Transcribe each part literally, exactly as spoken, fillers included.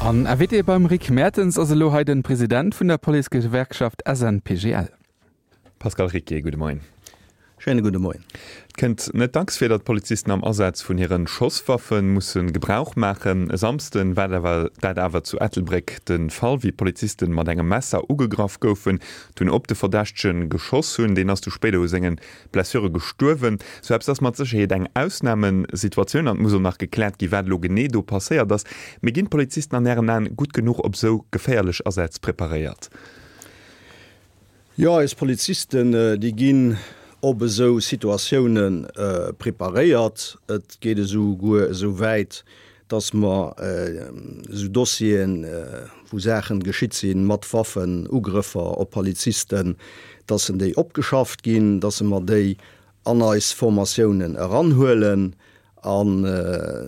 An Invité beim Rick Mertens ass elo hei den President vun der Policegewerkschaft S N P G L. Pascal Ricquier, gudde Moien. Schéine gudde Moien. Et kënnt net dacks vir, datt Polizisten am Asaz vun hiren Schosswaffe musse Gebrauch maachen. E Samsden war dat awer zu Ettelbréck de Fall, wéi Polizisten mat engem Messer ugegraff goufen, dunn op de Verdächtege geschoss hunn. Deen ass du spéider u senge Blessure gestuerwen. Sou eppes ass mat Sécherheet eng Ausnamesituatioun an et muss och nach gekläert ginn, wat elo genee do passéiert ass. Mee ginn d'Polizisten an Ären Aen gutt genuch op sou geféierlech Asätz preparéiert? Jo, eis Polizisten, déi ginn op esou Situatioune preparéiert. Et geet esouguer esou wäit, dass mer esou Dossieren, wou Saachen geschitt sinn, mat Waffen, Ugrëffer op Polizisten, dass en déi opgeschafft ginn, dass mer déi an eis Formatiounen eranhuelen an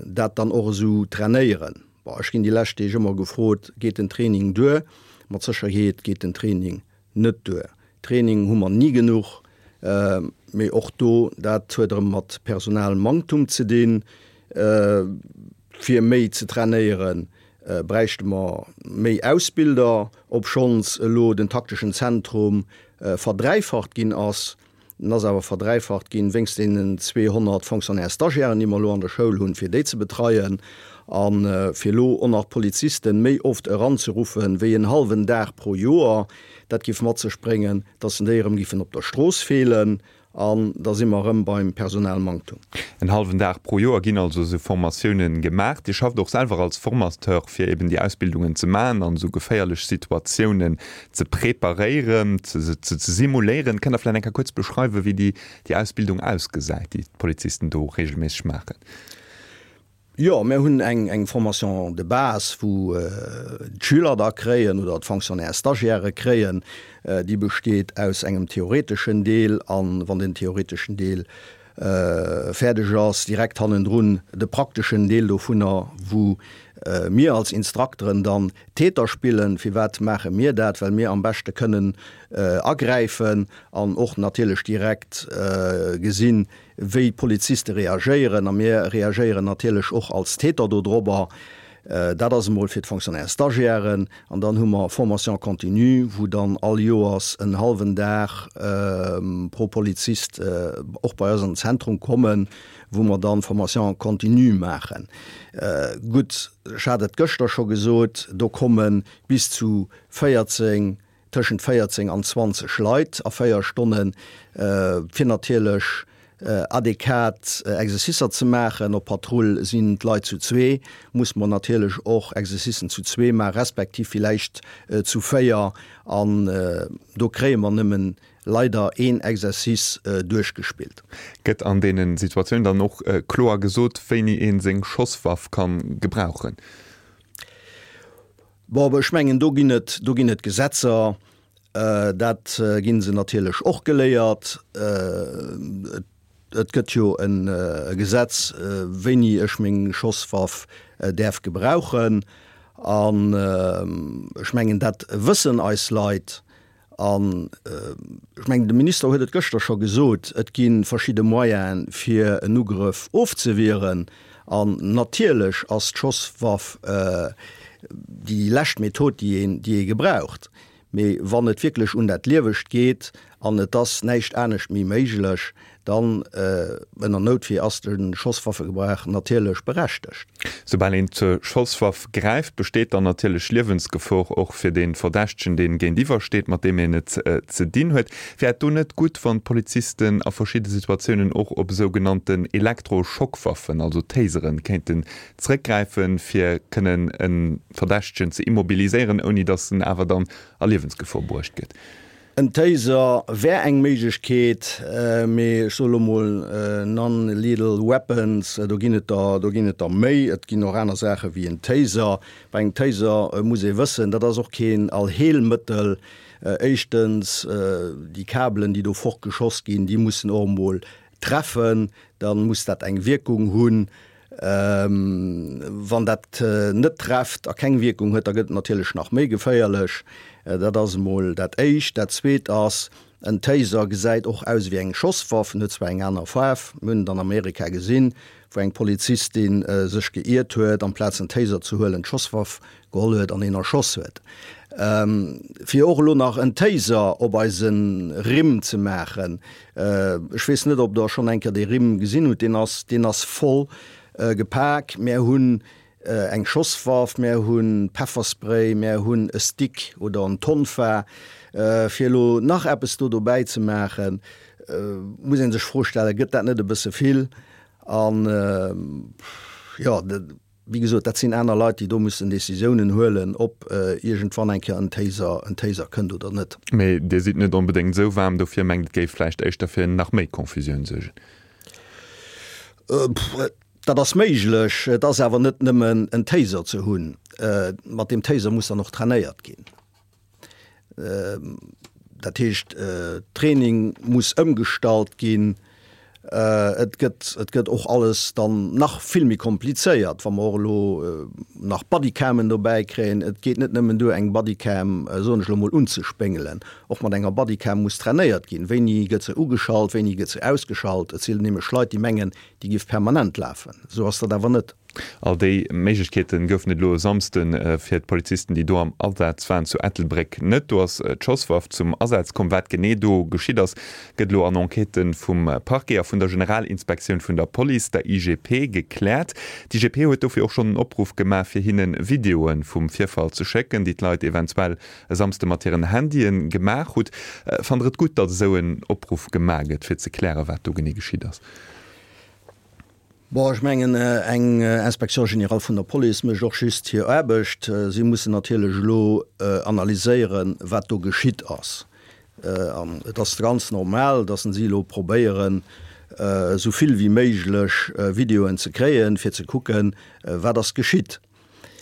dat dann och esou trainéieren. Bon, ech ginn déi lescht Deeg ëmmer gefrot, Geet den Training duer? Mat Sécherheet geet den Training net duer. Training hu mer ni genuch, mee och do, dat huet erëm mat Personalmanktum ze dinn. Fir méi ze trainéieren, bräichte mer méi Ausbilder, obschonns elo den takteschen Zentrum verdräifacht ginn ass. En ass awer verdräifacht ginn wéinst deenen zweehonnert Fonctionnaires stagiairen, déi mer elo an der Schoul hunn, fir déi ze betreien. A fir elo och nach d'Polizisten méi oft eranzeruffen, wéi en hallwen Dag pro Joer, dat géif mat sech bréngen, dass en déi erëm géifen op der Strooss feelen. An da si mer erëm beim Personalmanktum. En hallwen Dag pro Joer ginn also esou Formatiounen gemaach. Dir schafft och selwer als Formateur, fir eben déi Ausbildungen ze maachen an esou geféierlech Situatiounen ze preparéieren, ze ze simuléieren. Kënnt Der vläicht eng Kéier kuerz beschreiwen, wéi déi déi Ausbildung ausgesäit, déi d'Polizisten do reegelméisseg maachen? Jo, mir hunn eng eng Formation de base, wou d'Schüler da kréien oder d'Fonctionnaires stagiaires kréien. Déi besteet aus engem theoreteschen Deel an, wann den theoreteschen Deel fäerdeg ass, direkt hannendrun de prakteschen Deel dovunner, wou mir als Instrukteren dann Täter spillen. Firwat maache mir dat? Well mir am beschte kënnen agräifen an och natierlech direkt gesinn, wéi d'Poliziste reagéieren. A mir reagéieren natierlech och als Täter dodrobber. Dat ass emol fir d'Fonctionnaires stagiairen. An dann hu mer Formation continue, wou dann all Joers en hallwen Dag pro Polizist och bei eis an den Zentrum kommen, wou mer dann Formation continue maachen. Gutt, ech hat et gëschter scho gesot, do komme bis zu véierzéng, tëschent véierzéng an zwanzeg Leit a véier Stonnen, fir natierlech adequat Exercicer ze maachen. Op Patrull sinn d'Leit zu zwee, muss mer natierlech och Exercicen zu zwee maachen, respektiv villäicht zu véier, an do kréie mer nëmmen leider een Exercice duerchgespillt. Gëtt an deene Situatiounen dann och kloer gesot, wéini ee seng Schosswaff ka gebrauchen? Bon, ech mengen, do ginn et, do ginn et Gesetzer. Dat gi se natierlech och geléiert. Et gëtt jo e Gesetz, wéini ech meng Schosswaff däerf gebrauchen. An ech mengen, dat wëssen eis Leit. An ech mengen, de Minister huet et gëschter scho gesot, et gi verschidde Moyene fir en Ugrëff ofzewieren. An natierlech ass d'Schosswaff déi lescht Method, déi een, déi ee gebraucht. Mee wann et wierklech un dat Liewegt geet an et ass näischt anescht méi méiglech, dann, ënner Noutwier, ass de Schosswaffegebrauch natierlech berechtegt. Soubal een zur Schosswaff gräift, besteet dann natierlech Liewensgefor och fir dee Verdächtegen, deen géintiwwer steet, mat deem een et ze dinn huet. Wär et do net gutt, wann d'Polizisten a verschidde Situatiounen och op sougenannten Elektroschockwaffen, also Taseren, kéinten zréckgräifen, fir kënnen e Verdächtegen ze immobiliséieren, ouni datt en awer dann a Liewensgefor bruecht gëtt? En Taser wär eng Méiglechkeet, mee ech soe lo mol non-lethal weapons, do ginn et der, do ginn et der méi. Et ginn och aner Saache wéi en Taser. Bei engem Taser muss ee wëssen, dat ass och keen Allheelmëttel. Éischtens, déi Kabelen, déi do fortgeschoss ginn, déi mussen och emol treffen, da muss dat eng Wierkung hunn. Wann dat net trefft a keng Wierkung huet, da gëtt et natierlech nach méi geféierlech. Dat ass emol dat Éischt. Dat Zweet ass, en Taser gesäit och aus wéi eng Schosswaff, en huet zwar eng aner Faarf, mir hunn et an Amerika gesinn, wou eng Polizistin sech geiert huet, amplaz en Taser ze huelen, d'Schosswaff geholl huet an een erschoss huet. Fir och elo nach en Taser op eise Rimm ze maachen, ech weess net, ob Der schonn eng Kéier dee Rimm gesinn hutt, deen ass, deen ass voll gepak. Mär hunn eng Schosswaff, mär hu Pefferspray, mär hunn e Stick oder en Tonfa. Fir elo nach eppes do dobäi ze maachen, muss ee sech d'Fro stellen, Gëtt dat net e bësse vill? An, jo, wéi gesot, dat sinn aner Leit, déi do mussen Décisiounen huelen, ob iergendwann eng Kéier en Taser, en Taser kënnt oder net. Mee Dir sidd net onbedéngt esou waarm dofir, mengt et géif vläicht éischter fir nach méi Confusioun suergen? Dat ass méiglech. Et ass awer net nëmmen en Taser ze hunn. Mat deem Taser muss dann och trainéiert ginn. Dat heescht, Training muss ëmgestallt ginn. Et gëtt, et gëtt och alles dann nach vill méi komplizéiert, wa mer och elo nach Bodycamen dobäi kréien. Et geet net nëmmen duer, eng Bodycam, soen ech elo mol, unzespéngelen. Och mat enger Bodycam muss trainéiert ginn. Wéini gëtt se ugeschalt, wéini gëtt se ausgeschalt? Et sinn nämlech Leit, déi mengen, déi géif permanent lafen. Esou ass dat awer net. All déi Méiglechkeete goufen et elo e Samsde fir d'Polizisten, déi do am Asaz waren zu Ettelbréck net. Do ass d'Schosswaff zum Asaz komm. Wat genee do geschitt ass, gëtt elo an Enquêtë vum Parquet a vun der Generalinspektioun vun der Police, der I G P, gekläert. D'I G P huet dofir och schonn en Opruff gemaach, fir hinne Videoe vum Virfall ze schécken, déi d'Leit eventuell e Samsde mat hiren Handye gemaach hutt. Fannt Der et gutt, datt esou en Opruff gemaach gëtt, fir ze klären, wat do genee geschitt ass? Bon, ech mengen, eng Inspection générale vun der Police mécht och just hir Aarbecht. Si mussen natierlech elo analyséieren, wat do geschitt ass. An et ass ganz normal, datt si elo probéieren, esou vill wéi méiglech Videoen ze kréien, fir ze kucken, wat ass geschitt.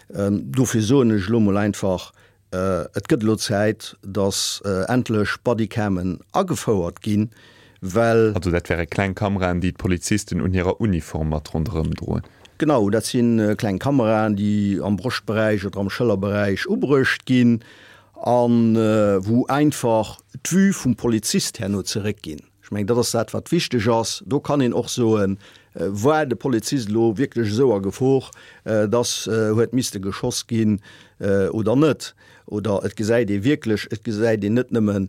Dofir soen ech elo mol einfach, Et gëtt elo Zäit, datt endlech Bodycamen agefouert ginn, well. Also dat wäre kleng Kameraen, déi d'Polizisten un hirer Uniform mat ronderëm droen? Genau, dat si kleng Kameraen, déi am Broschtberäich oder am Schëllerberäich ubruecht ginn a wou einfach d'Vue vum Polizist herno zeréckginn. Ech mengen, dat ass dat, wat wichteg ass. Do kann een och soen, War de Polizist elo wierklech esou a Gefor, dass huet misste geschoss ginn oder net? Oder et gesäit ee wierklech, et gesäit een net nëmme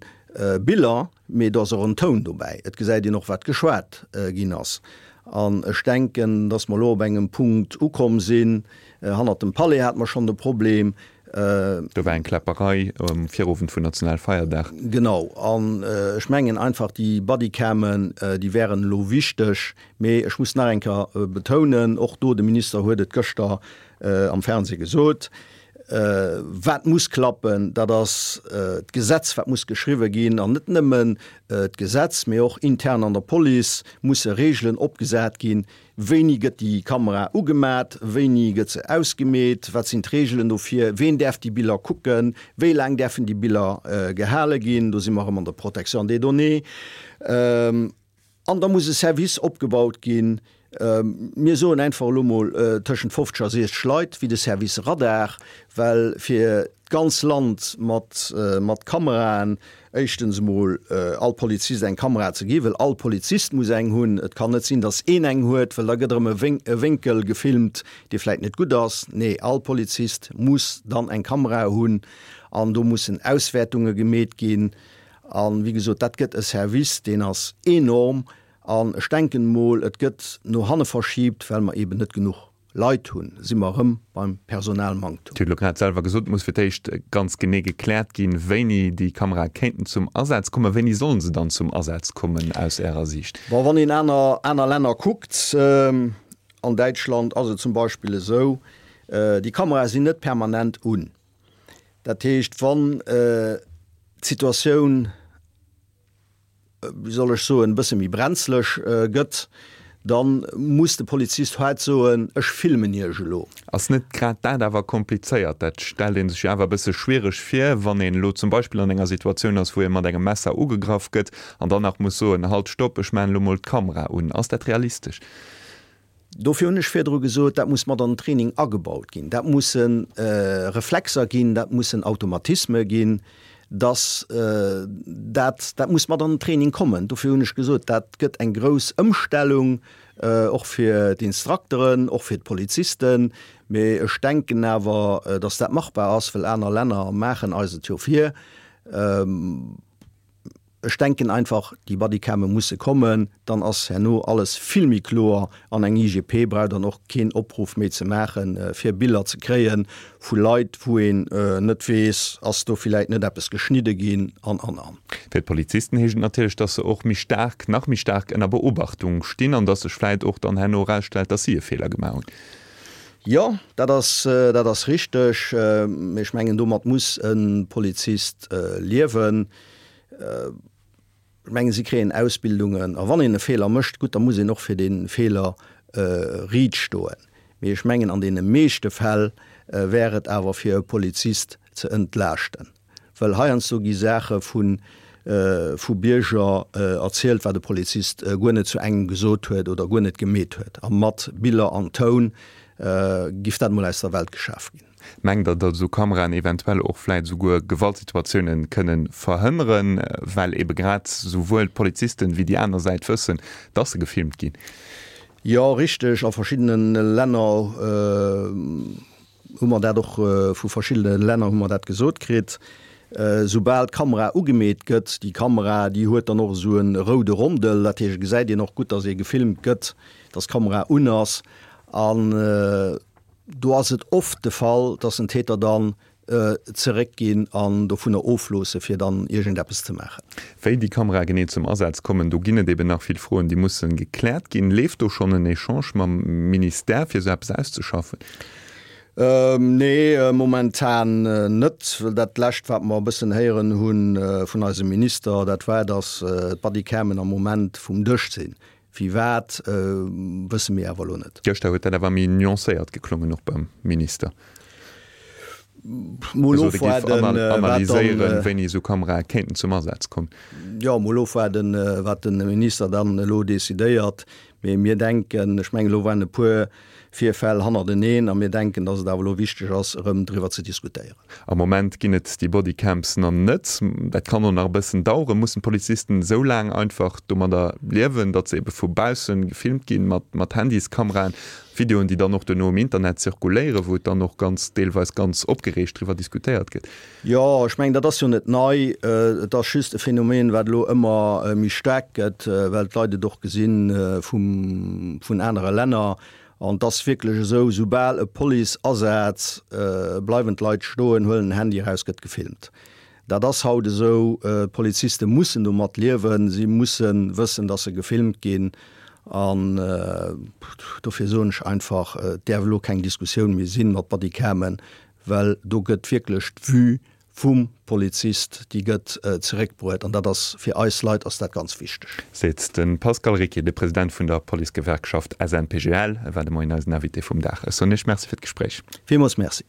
Biller, mee do ass och en Toun dobäi. Et gesäit een och, wat geschwat ginn ass. An ech denken, dass mer elo op engem Punkt ukomm sinn, hannert dem Palais hate mer schonn de Problem. Do war eng Kläpperei um Virowend vun Nationalfeierdag. Genau. An ech mengen einfach, déi Bodycamen, déi wären elo wichteg. Mee ech muss nach eng Kéier betounen, och do, de Minister huet et gëschter am Fernseh gesot, wat muss klappen, dat ass d'Gesetz, wat muss geschriwwe ginn. An net nëmmen d'Gesetz, mee och intern an der Police musse Regeln opgesat ginn, Wéini gëtt déi Kamera ugemat? Wéini gëtt se ausgemeet? Wat sinn d'Reegelen dofir? Ween däerf déi Biller kucken? Wéi laang däerfen déi Biller gehale ginn? Do si mer erëm an der Protection des données. An da muss e Service opgebaut ginn, mir soen einfach elo mol tëschent fofzeg a siechzeg Leit, wéi de Service Radar, well fir d'ganz Land mat mat Kameraen, éischtens emol all Polizist eng Kamera ze gi, well all Polizist muss eng hunn. Et kann net sinn, datt een eng huet, well da gëtt erëm e e Wénkel gefilmt, dee vläit net gutt ass. Nee, all Polizist muss dann eng Kamera hunn an do mussen Auswäertunge gemeet ginn. A wéi gesot, dat gëtt e Service, deen ass enorm. An ech denken emol, et gëtt no hanne verschiibt, well mer eeben net genuch Leit hunn, si mer erëm beim Personalmanktum. Dir hutt elo grad selwer gesot, et muss fir d'éischt ganz genee gekläert ginn, wéini déi Kamerae kéinten zum Asaz kommen. Wéini sollen se dann zum Asaz kommen aus Ärer Siicht? Bon, wann een aner, aner Länner kuckt, an Däitschland ass et zum Beispill esou, déi Kamerae sinn net permanent un. Dat heescht, wann d'Situatioun, wéi soll ech soen, e bësse méi brenzlech gëtt, da muss de Polizist haart soen, ech filmen Iech elo. Ass net grad dat awer komplizéiert? Dat stellt ee sech jo awer e bësse schwiereg vir, wann een elo zum Beispill an enger Situatioun ass, wou ee mat engem Messer ugegraff gëtt an dann nach muss soen, Halt, stopp, ech maachen elo mol d'Kamera un. Ass dat realistesch? Dofir hunn ech virdru gesot, dat muss mat an den Training agebaut ginn. Dat musse Reflexer ginn, dat mussen Automatisme ginn, dass dat, dat muss mat an den Training kommen. Dofir hunn ech gesot, dat gëtt eng grouss Ëmstellung, och fir d'Instrukteren, och fir d'Polizisten. Mee ech denken awer, dass dat machbar ass, well aner Länner maachen eis et jo vir. Ech denken einfach, déi Bodycame musse kommen, dann ass herno alles vill méi kloer an eng I G P brauch dann och keen Opruff méi ze maachen, fir Biller ze kréie vu Leit, wou een net weess, ass do villäit net eppes geschnidde ginn an, an, an. Fir d'Polizisten heescht et natierlech, dass se och méi staark, nach méi staark ënner Beobachtung stinn an dass sech vläit och dann herno erausstellt, dass si e Feeler gemaach hunn. Jo, dat ass, dat ass richteg. Mee ech mengen, domat muss e Polizist liewen. Ech mengen, si kréien Ausbildungen a wann een e Feeler mécht, gutt, da muss een och fir dee Feeler riit stoen. Mee ech mengen, an deene meeschte Fäll wär et awer fir e Polizist ze entlaaschten. Well heiansdo gi Saache vu vu Bierger erzielt, wat e Polizist guer net zu engem gesot huet oder guer net gemeet huet. A mat Biller an Toun giff dat mol aus der Welt geschaf ginn. Mengt Der, datt esou Kameraen eventuell och vläit esouguer Gewaltsituatiounen kënnen verhënneren, well ebe grad esouwuel d'Polizisten wéi déi aner Säit wëssen, datt se gefilmt ginn? Jo, richteg. A verschiddene Länner hu mer dat och, vu verschiddene Länner hu mer dat gesot kritt. Soubal d'Kamera ugemeet gëtt, déi Kamera, déi huet dann och esou e roude Rondel, dat heescht, et gesäit een och gutt, datt ee gefilmt gëtt, datt d'Kamera un ass. An do ass et oft de Fall, datt den Täter dann zeréckginn an dovunner ofloosse fir dann iergendeppes ze maachen. Wéi déi Kamerae genee zum Asaz kommen, do ginn et eben nach vill Froen, déi musse gekläert ginn. Leeft do schonn en Echange mam Ministère, fir esou eppes auszeschaffen? Nee, momentan net, well dat Lescht, wat mer e bëssen héieren hu vun eisem Minister, dat war, datt d'Bodycamen am Moment vum Dësch sinn. Firwat, wësse mir awer elo net. Gëschter huet dat awer méi nuancéiert geklongen, och beim Minister. Mol ofwaarden, wat dann. Analyséieren, wéini esou Kamerae kéinten zum Asaz kommen. Jo, mol ofwaarden, wat de Minister dann elo decidéiert. Mee mir denken, ech mengen, elo waren e puer Virfäll hannerteneen a mir denken, dass et awer elo wichteg ass, erëm driwwer ze diskutéieren. Am Moment ginn et déi Bodycams nach net. Dat kann och nach e bëssen daueren. Mussen d'Polizisten esou laang einfach domadder liewen, datt se ebe vu bausse gefilmt ginn mat mat Handyskameraen, Videoen, déi dann och duerno um Internet zirkuléieren, wou et dann och ganz deelweis ganz opgereegt driwwer diskutéiert gëtt? Jo, ech mengen, dat ass jo net nei. Et ass just e Phänomen, wat elo ëmmer méi staark gëtt, well d'Leit et och gesi vum, vun anere Länner. An et ass wierklech esou, soubal e Policeasaz, bleiwen d'Leit stoen, huelen den Handy eraus, gëtt gefilmt. Dat ass haut esou. D'Poliziste mussen domat liewen. Si musse wëssen, dass se gefilmt ginn. An dofir soen ech einfach, et däerf elo keng Diskussioun méi sinn mat Bodycamen, well do gëtt wierklech d'Vue vum Polizist, déi gëtt zeréckbruet. An dat ass, fir eis Leit ass dat ganz wichteg. Seet de Pascal Ricquier, de President vun der Policegewerkschaft S N P G L. E war de Moien eisen Invité vum Dag. Ech soen Iech Merci fir d'Gespréich. Villmools Merci.